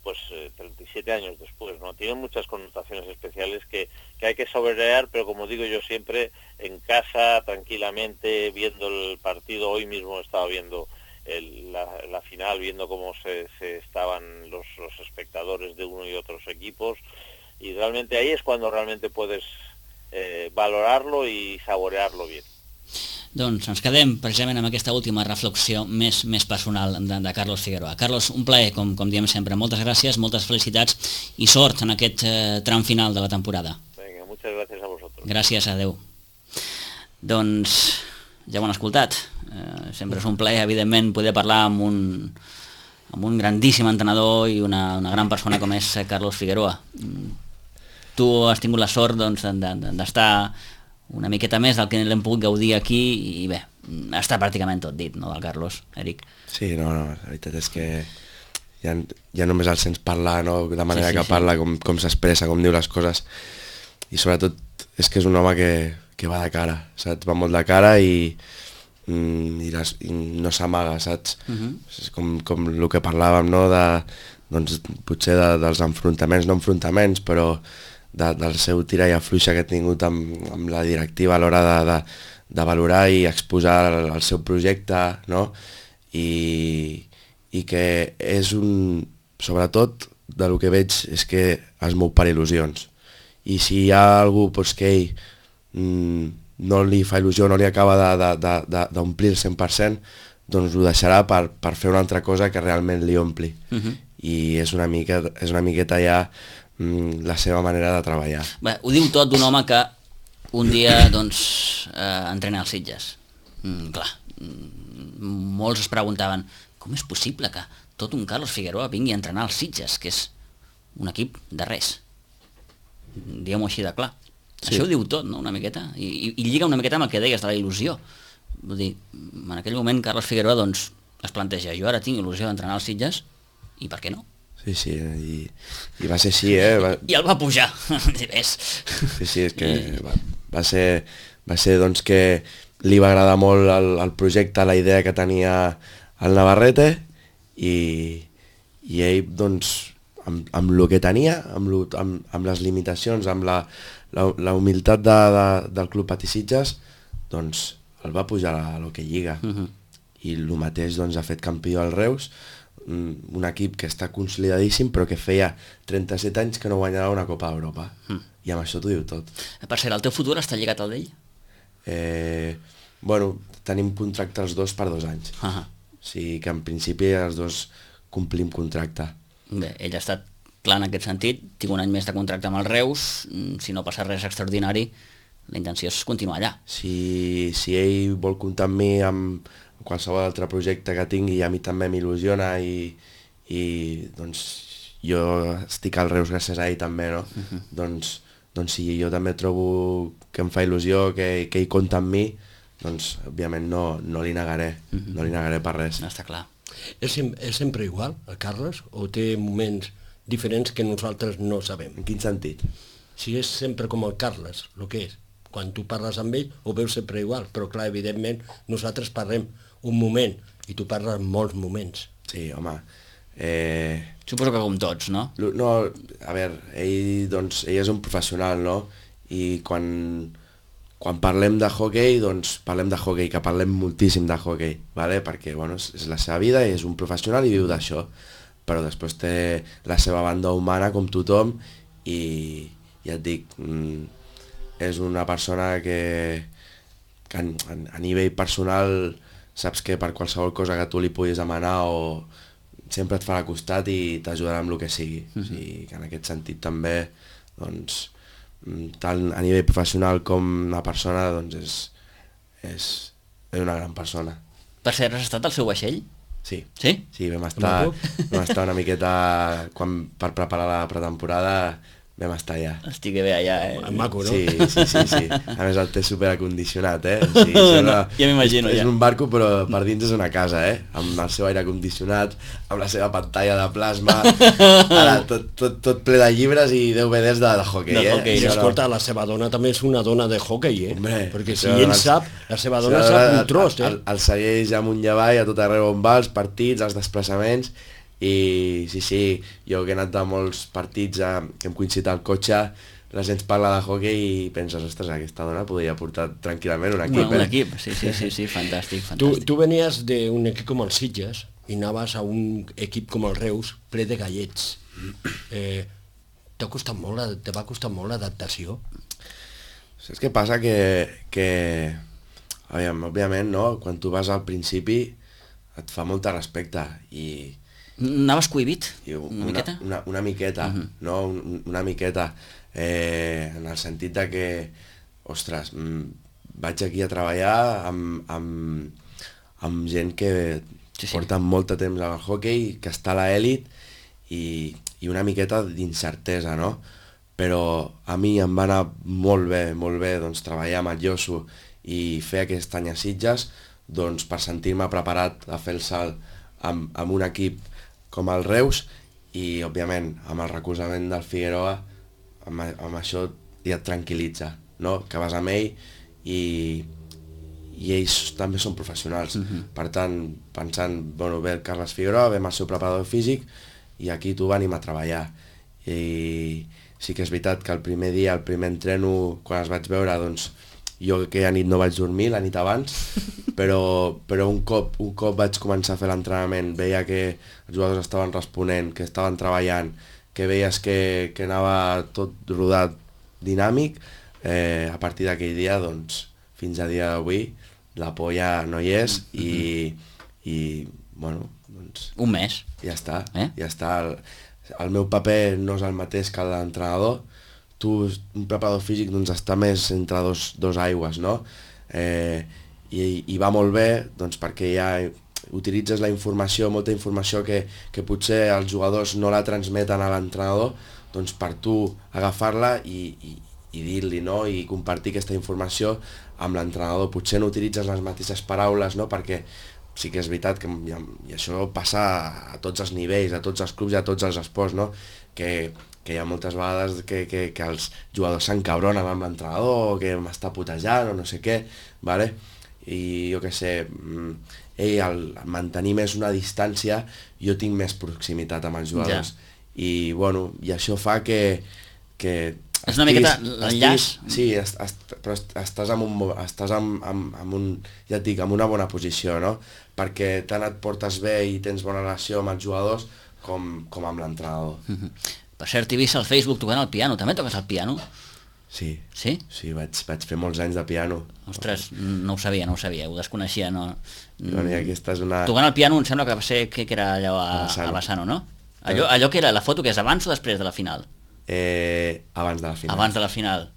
pues eh, treinta y siete años después, ¿no? Tiene muchas connotaciones especiales que, que hay que saborear, pero como digo yo siempre, en casa, tranquilamente, viendo el partido. Hoy mismo estaba viendo el, la, la final, viendo cómo se, se estaban los, los espectadores de uno y otros equipos, y realmente ahí es cuando realmente puedes eh, valorarlo y saborearlo bien. Doncs ens quedem precisament amb aquesta última reflexió més, més personal de, de Carlos Figueroa. Carlos, un plaer, com, com diem sempre. Moltes gràcies, moltes felicitats i sort en aquest eh, tram final de la temporada. Venga, muchas gracias a vosotros. Gràcies, adeu. Doncs ja ho han escoltat. Eh, sempre és un plaer, evidentment, poder parlar amb un, amb un grandíssim entrenador i una, una gran persona com és Carlos Figueroa. Tu has tingut la sort doncs, d'estar una miqueta més del que l'hem pogut gaudir aquí, i bé, està pràcticament tot dit, no, del Carlos, Eric? Sí, no, no, la veritat és que ja, ja només el sents parlar, no?, de manera sí, sí, que parla, sí. com, com s'expressa, com diu les coses, i sobretot és que és un home que, que va de cara, saps? Va molt de cara i, i, les, i no s'amaga, saps? Uh-huh. És com, com el que parlàvem, no?, de, doncs, potser de, dels enfrontaments, no enfrontaments, però De, del seu tira i afluixa que ha tingut amb, amb la directiva a l'hora de, de, de valorar i exposar el, el seu projecte, no? I, i que és un... Sobretot, del que veig, és que es mou per il·lusions. I si hi ha algú pues, que ell mm, no li fa il·lusió, no li acaba d'omplir el cent per cent, doncs ho deixarà per, per fer una altra cosa que realment li ompli. Uh-huh. I és una, mica, és una miqueta ja la seva manera de treballar. Bé, ho diu tot d'un home que un dia doncs, eh, entrena els Sitges. Mm, clar, mm, molts es preguntaven com és possible que tot un Carlos Figueroa vingui a entrenar els Sitges, que és un equip de res. Diguem-ho així de clar. Sí. Això ho diu tot, no?, una miqueta, i, i, i lliga una miqueta amb el que deies de la il·lusió. Vull dir, en aquell moment Carlos Figueroa doncs, es planteja, jo ara tinc il·lusió d'entrenar els Sitges, i per què no? Sí, sí, i, i va ser així, eh? Va... I el va pujar, ves. Sí, sí, és que va, va ser, va ser doncs que li va agradar molt el, el projecte, la idea que tenia el Navarrete, i, i ell, doncs, amb, amb el que tenia, amb, lo, amb, amb les limitacions, amb la, la, la humilitat de, de, del Club Patisitges, doncs el va pujar a lo que lliga. Uh-huh. I el mateix doncs, ha fet campió al Reus, un equip que està consolidadíssim però que feia trenta-set anys que no guanyava una Copa d'Europa. Mm. I amb això t'ho diu tot. Per cert, el teu futur està lligat al d'ell? Eh, bueno, tenim contracte els dos per dos anys. Uh-huh. O sigui que en principi els dos complim contracte. Bé, ell ha estat clar en aquest sentit, tinc un any més de contracte amb el Reus, si no passa res extraordinari, la intenció és continuar allà. Si, si ell vol comptar amb mi amb qualsevol altre projecte que tingui, a mi també m'il·lusiona, i, i doncs jo estic al Reus gràcies a ell també, no? Uh-huh. doncs, doncs si jo també trobo que em fa il·lusió, que, que ell compta amb mi, doncs òbviament no, no li negaré, uh-huh. no li negaré per res. No, està clar. És, és sempre igual, el Carles, o té moments diferents que nosaltres no sabem? En quin sentit? Si és sempre com el Carles, el que és. Quan tu parles amb ell ho veus sempre igual, però clar, evidentment nosaltres parlem un moment i tu parles molts moments. Sí, home. Eh... Suposo que com tots, no? No, a veure, ell, doncs, ell és un professional, no? I quan, quan parlem de hockey, doncs parlem de hockey, que parlem moltíssim de hockey, ¿vale? Perquè bueno, és, és la seva vida i és un professional i viu d'això, però després té la seva banda humana com tothom, i, ja et dic, mm, és una persona que, que a, a nivell personal saps que per qualsevol cosa que tu li puguis demanar o sempre et farà costat i t'ajudarà amb el que sigui. Mm-hmm. O sigui, que en aquest sentit també, doncs, tant a nivell professional com una persona, doncs és, és, és una gran persona. Per cert, has estat al seu vaixell? Sí. Sí? Sí, vam estar, vam estar una miqueta, quan, per preparar la pretemporada, vam estar allà. Estic bé allà, eh? Maco, no? Sí, sí, sí, sí. A més el té superacondicionat, eh? O sigui, no, ja m'imagino, és, ja. És un barco, però per dins és una casa, eh? Amb el seu aire condicionat, amb la seva pantalla de plasma, ara, tot, tot, tot ple de llibres i D V Ds de, de hockey, de eh? hockey, I no, escolta, la seva dona també és una dona de hockey, eh? Hombre, perquè si això, ell el- sap, la seva dona Sí, sap el- un tros, eh? El, el segueix amunt i avall a tot arreu on va, els partits, els desplaçaments, i sí, sí, jo que he anat a molts partits eh, que hem coincidit al cotxe, la gent parla de hockey i penses, ostres, aquesta dona podria portar tranquil·lament un equip. Un, un eh? equip, sí, sí, sí, sí, fantàstic, Tu, fantàstic. tu venies d'un equip com el Sitges i anaves a un equip com el Reus ple de gallets. Eh, t'ha costat molt, la- te va costar molt l'adaptació? Saps què passa? Que, que aviam, òbviament, no? Quan tu vas al principi et fa molta respecte i, Anaves cohibit, i una, miqueta? Una, una miqueta, uh -huh. no? Un, una miqueta, eh, en el sentit de que, ostres, mm, vaig aquí a treballar amb, amb, amb gent que Sí, sí. porta molt de temps al hockey, que està a l'elit i, i una miqueta d'incertesa, no? Però a mi em va anar molt bé, molt bé, doncs, treballar amb el Josu i fer aquest any a Sitges, doncs, per sentir-me preparat a fer el salt amb, amb un equip com el Reus i, òbviament, amb el recolzament del Figueroa, amb, amb això ja et tranquil·litza, no? Que vas amb ell i, i ells també són professionals. Uh-huh. Per tant, pensant, bueno, ve el Carles Figueroa, ve amb el seu preparador físic i aquí tu venim a treballar. I sí que és veritat que el primer dia, el primer entreno, quan els vaig veure, doncs, jo aquella nit no vaig dormir, la nit abans, però, però un, cop, un cop vaig començar a fer l'entrenament, veia que els jugadors estaven responent, que estaven treballant, que veies que, que anava tot rodat dinàmic, eh, a partir d'aquell dia, doncs, fins a dia d'avui, la por ja no hi és i, i bueno, doncs, Un mes. ja està, Eh? ja està. El, el meu paper no és el mateix que el de l'entrenador. Tu, un preparador físic, doncs està més entre dos, dos aigües, no? Eh, i, I va molt bé, doncs perquè ja utilitzes la informació, molta informació que, que potser els jugadors no la transmeten a l'entrenador, doncs per tu agafar-la i, i, i dir-li, no? I compartir aquesta informació amb l'entrenador. Potser no utilitzes les mateixes paraules, no? Perquè sí que és veritat que i, i això passa a tots els nivells, a tots els clubs i a tots els esports, no? Que, que hi ha moltes vegades que, que, que els jugadors s'encabronen amb l'entrenador o que m'està putejant o no sé què, vale? I jo què sé, ell al mantenir més una distància jo tinc més proximitat amb els jugadors. Ja. I bueno, i això fa que, que és una miqueta l'enllaç. Sí, est, est, però est, estàs, en un, estàs en, en, en un, ja et dic, en una bona posició, no? Perquè tant et portes bé i tens bona relació amb els jugadors com, com amb l'entrenador. Mm-hmm. Per cert, t'he vist al Facebook tocant el piano. També toques el piano? Sí, Sí? sí, vaig, vaig fer molts anys de piano. Ostres, no ho sabia, no ho sabia, ho desconeixia, no... Bueno, i aquesta és una... Tocant el piano em sembla que va ser que, que era allò a, A Bassano. a Bassano, no? Allò, allò que era la foto, que és abans o després de la final? Eh, abans de la final. Abans de la final.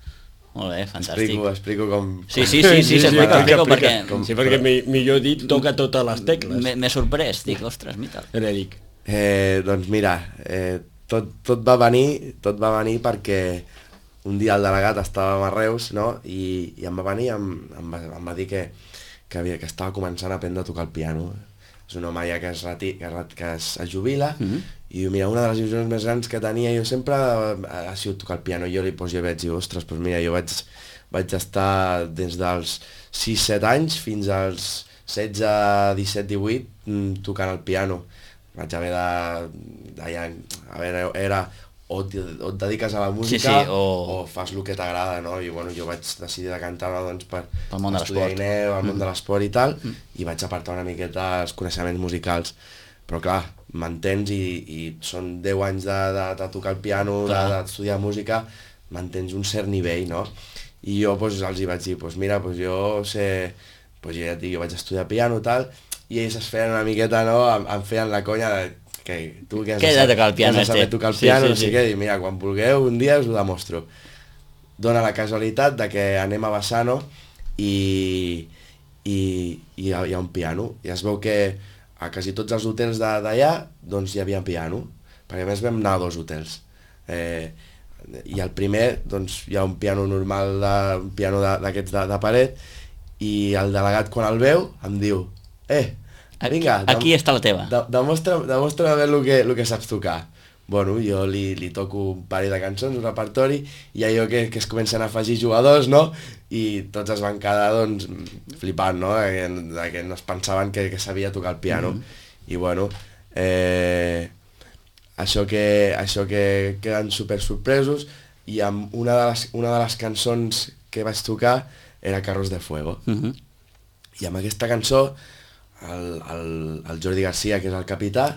Molt bé, fantàstic. Explico, explico com... Sí, sí, sí, sí, s'explica, explica, perquè com- Sí, perquè mi, millor dit, toca totes les tecles. m'he m'he sorprès, dic, ostres, mira. Era dic. Eh, doncs mira, eh, tot, tot va venir, tot va venir perquè un dia el delegat estava a Reus, no? I, i em va venir i em, em, va, em va dir que, que, havia, que estava començant a aprendre a tocar el piano. És un home ja que es, reti, que, es- que es, es jubila, Mhm. i diu, mira, una de les il·lusions més grans que tenia jo sempre ha sigut tocar el piano. I jo li pues, jo vaig dir, ostres, doncs mira, jo vaig, vaig estar des dels sis set anys fins als setze, disset, divuit mm, tocant el piano. Vaig haver de... de ja, a veure, era o et, o et dediques a la música Sí, sí, o- o fas el que t'agrada, no? I bueno, jo vaig decidir decantar-me doncs, per Pel món de estudiar l'esport. I E, el món Mm. de l'esport i tal, i vaig apartar una miqueta els coneixements musicals. Però clar, m'entens i, i són deu anys de, de, de tocar el piano, de- Clar. d'estudiar música, mantens un cert nivell, no? I jo pues, els hi vaig dir, pues, mira, pues, jo sé, pues, jo ja et dic, jo vaig estudiar piano i tal, i ells es feien una miqueta, no? Em, em feien la conya de que tu que has que de saber tocar el piano, saber este. tocar el Sí, piano, sí, no sé sí. què, i mira, quan vulgueu, un dia us ho demostro. Dóna la casualitat de que anem a Bassano i, i, i hi, ha, hi ha un piano, i es veu que a quasi tots els hotels d'allà doncs hi havia piano, perquè a més vam anar a dos hotels. Eh, i al primer doncs, hi ha un piano normal, de, un piano d'aquests de, de paret, i el delegat quan el veu em diu eh, vinga, aquí, aquí està la teva. de, demostra, demostra bé el que, el que saps tocar. Bueno, jo li, li toco un parell de cançons, un repertori, i allò que, que es comencen a afegir jugadors, no? I tots es van quedar, doncs, flipant, no? De, de que no es pensaven que, que sabia tocar el piano. Mm-hmm. I bueno, eh, això que, això que queden super sorpresos, i amb una de les, una de les cançons que vaig tocar era Carros de Fuego. Mm-hmm. I amb aquesta cançó, el, el, el Jordi Garcia, que és el capità,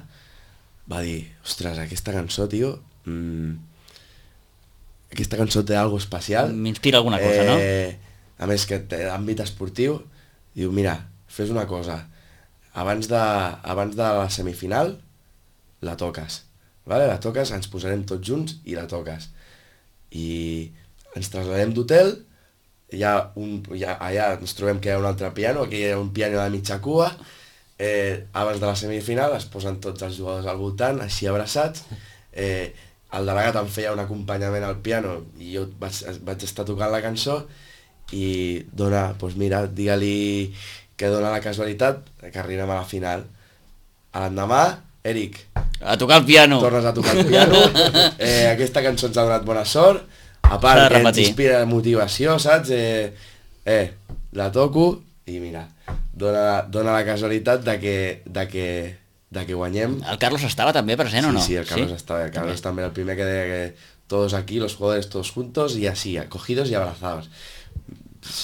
va dir, ostres, aquesta cançó, tio, mmm, aquesta cançó té algo especial. M'inspira alguna cosa, no? Eh, a més que té àmbit esportiu, diu, mira, fes una cosa, abans de, abans de la semifinal, la toques, vale? La toques, ens posarem tots junts i la toques. I ens traslladem d'hotel, hi ha un, hi ha, allà ens trobem que hi ha un altre piano, aquí hi ha un piano de mitja cua, eh, abans de la semifinal es posen tots els jugadors al voltant, així abraçats, eh, el delegat em feia un acompanyament al piano i jo vaig, vaig estar tocant la cançó i dona, doncs mira, digue-li que dona la casualitat que arribem a la final. A l'endemà, Eric, a tocar el piano. Tornes a tocar el piano, eh, aquesta cançó ens ha donat bona sort, a part que ens inspira motivació, saps? Eh, eh, la toco i mira, dona, dona la casualitat de que, de que, de que guanyem. El Carlos estava també present, sí, o no? Sí, el Carlos ¿Sí? estava, el Carlos també. també el primer que deia que todos aquí, los jugadores todos juntos y así, cogidos y abrazados.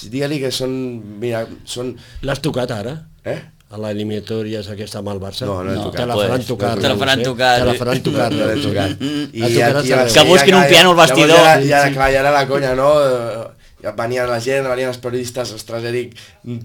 Digue-li que són, mira, són... L'has tocat ara? Eh? A l'eliminatòria aquesta amb el Barça? No, no he tocat. Te la faran tocar. Te la faran tocar. Te la faran tocar. No l'he tocat. I I ja, ja, que busquin un piano al vestidor. Ja, ja, clar, ja era la conya, no? Ja venien la gent, venien els periodistes, ostres, Eric,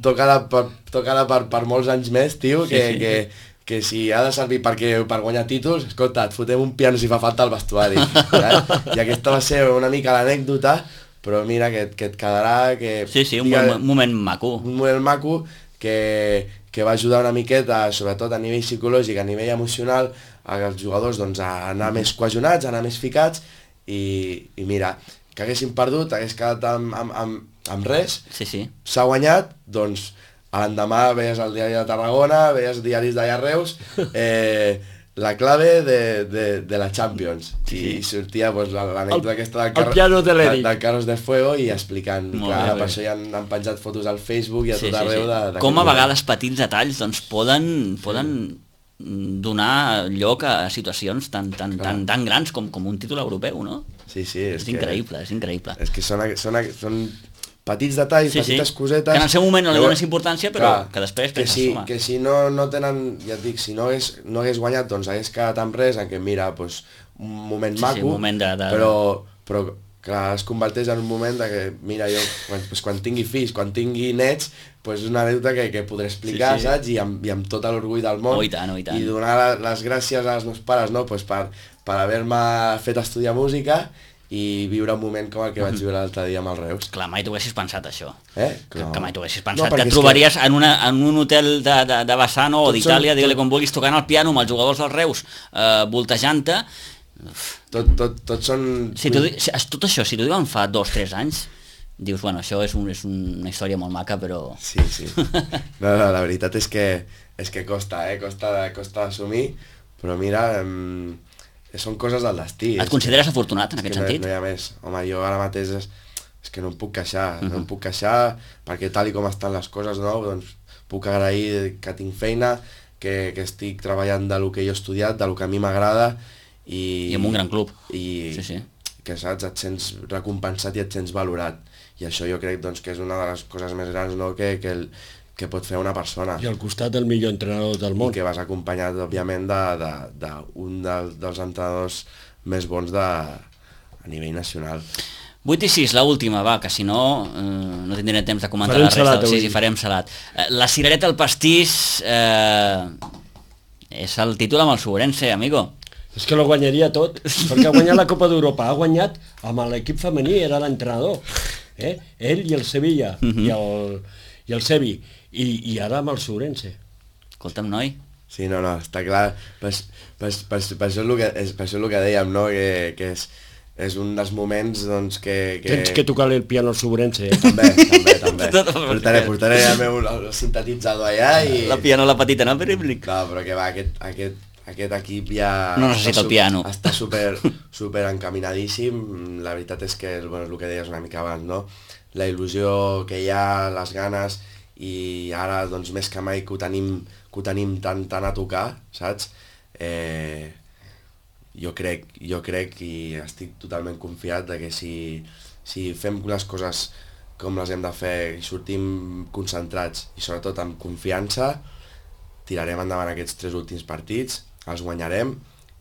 tocada per, tocada per, per molts anys més, tio, que, sí, sí. que, que si ha de servir perquè, per guanyar títols, escolta, et fotem un piano si fa falta al vestuari. Eh? I aquesta va ser una mica l'anècdota, però mira, que, que et quedarà... Que, sí, sí, un diga, moment maco. Un moment maco que, que va ajudar una miqueta, sobretot a nivell psicològic, a nivell emocional, als jugadors doncs, a anar més cohesionats, a anar més ficats, i, i mira, que haguessin perdut, hagués quedat amb, amb, amb, amb res, sí, sí. S'ha guanyat, doncs a l'endemà veies el diari de Tarragona, veies diaris d'allà a Reus, eh, la clave de, de, de la Champions, sí. I sortia pues, l'anècdota aquesta del, Car de del, del Carros de Fuego i explicant, clar, per això ja han, han penjat fotos al Facebook i a sí, tot arreu. Sí, sí. De, de com a vegades petits detalls doncs, poden, poden sí. donar lloc a situacions tan, tan, tan, tan grans com, com un títol europeu, no? Sí, sí, és, és que, increïble, és increïble. És que són, són, són petits detalls, sí, petites sí. cosetes... Que en el seu moment no li dones importància, però clar, que després que penses si, sumar. que si no, no tenen, ja et dic, si no hagués, no hagués guanyat, doncs hagués quedat amb res, en què mira, pues, un moment sí, maco, sí, un moment de, de... però, però clar, es converteix en un moment de que, mira, jo, quan, pues, quan tingui fills, quan tingui nets, pues, és una anècdota que, que podré explicar, sí, sí. Saps? I amb, i amb tot l'orgull del món. Oh, i tant, oh, i tant. I donar les gràcies als meus pares, no?, pues, per, per haver-me fet estudiar música i viure un moment com el que vaig viure l'altre dia amb els Reus. Clar, mai t'ho haguessis pensat, això. Eh? Que, no. que mai t'ho haguessis pensat. No, que et trobaries que... en, una, en un hotel de, de, de Bassano o d'Itàlia, digue-li com vulguis, tocant el piano amb els jugadors dels Reus, eh, voltejant-te. Tot, tot, tot són... Si tu, si, tot això, si t'ho diuen fa dos o tres anys, dius, bueno, això és, un, és una història molt maca, però... Sí, sí. No, no, la veritat és que, és que costa, eh? Costa, costa d'assumir, però mira... Em... són coses del destí. Et consideres que, afortunat en aquest no, sentit? No hi ha més. Home, jo ara mateix és, és que no em puc queixar, uh-huh. no em puc queixar perquè tal i com estan les coses, no? Doncs puc agrair que tinc feina, que, que estic treballant de lo que jo he estudiat, de lo que a mi m'agrada i... I en un gran club. I sí, sí. que saps, et sents recompensat i et sents valorat. I això jo crec doncs, que és una de les coses més grans, no? que, que el, que pot fer una persona. I al costat del millor entrenador del món. I que vas acompanyat, òbviament, d'un de, de, de de dels entrenadors més bons de, a nivell nacional. vuit i sis, l'última, va, que si no eh, no tindrem temps de comentar farem la resta. Salat, sí, sí, farem salat. Eh, la cirereta al pastís eh, és el títol amb el Sobrense, amigo. És que lo guanyaria tot, perquè ha guanyat la Copa d'Europa, ha guanyat amb l'equip femení, era l'entrenador, eh? Ell i el Sevilla, uh -huh. i, el, i el Sevi, i, i ara amb el Sobrense. Escolta'm, noi. Sí, no, no, està clar, per, per, per, per, això, és el que, és, per això és el que dèiem, no? que, que és, és un dels moments doncs, que, que... Tens que tocar el piano al Sobrense, eh? També, també, també. Portaré, portaré el meu el sintetitzador allà i... La piano, la petita, no? Però... No, però que va, aquest, aquest, aquest equip ja... No necessita el piano. Està super, super encaminadíssim, la veritat és que, bueno, és el que deies una mica abans, no? La il·lusió que hi ha, les ganes, i ara, doncs, més que mai que ho tenim, que ho tenim tan, tan a tocar, saps? Eh, jo crec, jo crec i estic totalment confiat de que si, si fem les coses com les hem de fer i sortim concentrats i sobretot amb confiança, tirarem endavant aquests tres últims partits, els guanyarem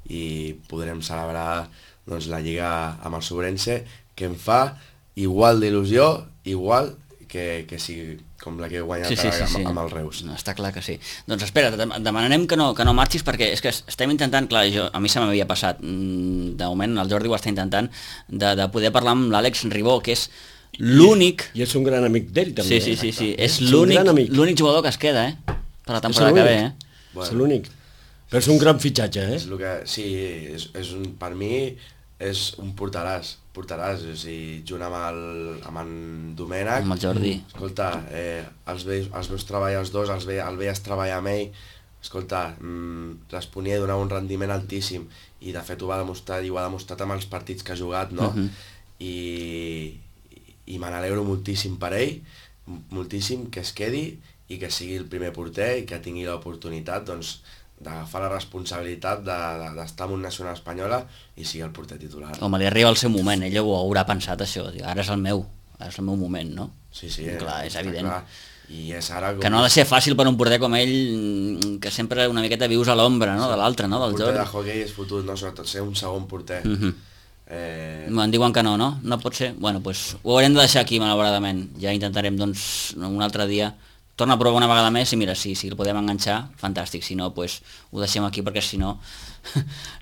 i podrem celebrar doncs, la Lliga amb el Sobrense, que em fa igual d'il·lusió, igual que, que sigui com la que he guanyat sí, sí, sí, sí. amb, amb el Reus. No, està clar que sí. Doncs espera, et demanarem que no, que no marxis perquè és que estem intentant, clar, jo, a mi se m'havia passat, de moment el Jordi ho està intentant, de, de poder parlar amb l'Àlex Ribó, que és l'únic... I, I és un gran amic d'ell també. Sí, sí, sí, sí. Eh? És l'únic jugador que es queda, eh? Per la temporada que ve, eh? Bueno. És l'únic. Però és un gran fitxatge, eh? És el que, sí, és, és un, per mi és un portaràs, portaràs, o sigui, junt amb, el, amb en Domènec. Amb el Jordi. Escolta, eh, els, veus, els veus treballar els dos, els ve, el veies treballar amb ell, escolta, mmm, responia i donava un rendiment altíssim, i de fet ho va demostrar, i ho ha demostrat amb els partits que ha jugat, no? Uh -huh. I, i me n'alegro moltíssim per ell, moltíssim que es quedi, i que sigui el primer porter, i que tingui l'oportunitat, doncs, d'agafar la responsabilitat d'estar de, de, en una nacional espanyola i sigui el porter titular. Home, li arriba el seu moment, ella ho haurà pensat això, ara és el meu, ara és el meu moment, no? Sí, sí, clar, és evident. Clar. I és ara... Que no ha de ser fàcil per un porter com ell, que sempre una miqueta vius a l'ombra, no?, sí, de l'altre, no?, del Jordi. El porter de hockey és fotut, no?, sobretot ser un segon porter. Uh -huh. eh... Em diuen que no, no? No pot ser? Bueno, doncs pues, ho haurem de deixar aquí, malauradament. Ja intentarem, doncs, un altre dia torna a provar una vegada més i mira, si, si el podem enganxar, fantàstic, si no, doncs, pues, ho deixem aquí perquè si no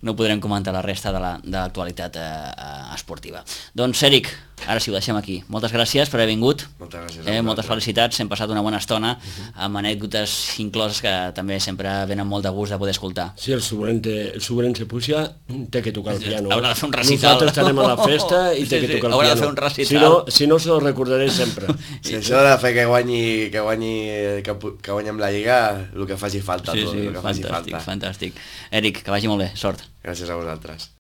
no podrem comentar la resta de l'actualitat la, eh, esportiva. Doncs, Eric, ara sí, ho deixem aquí. Moltes gràcies per haver vingut. Moltes gràcies. Eh, moltes felicitats, hem passat una bona estona uh-huh. amb anècdotes incloses que també sempre venen molt de gust de poder escoltar. Sí, el Sobrense, el Sobrense Puja té que tocar el piano. Haurà de fer un recital. Nosaltres estarem a la festa i sí, té que sí, tocar el haurà piano. de fer un recital. Si no, si no se lo recordaré sempre. Si això ha de fer que guanyi, que guanyi, que, que guanyem la Lliga, el que faci falta. Sí, tot, sí, el que fantàstic, faci falta. fantàstic. Eric, que vagi molt bé, sort. Gràcies a vosaltres.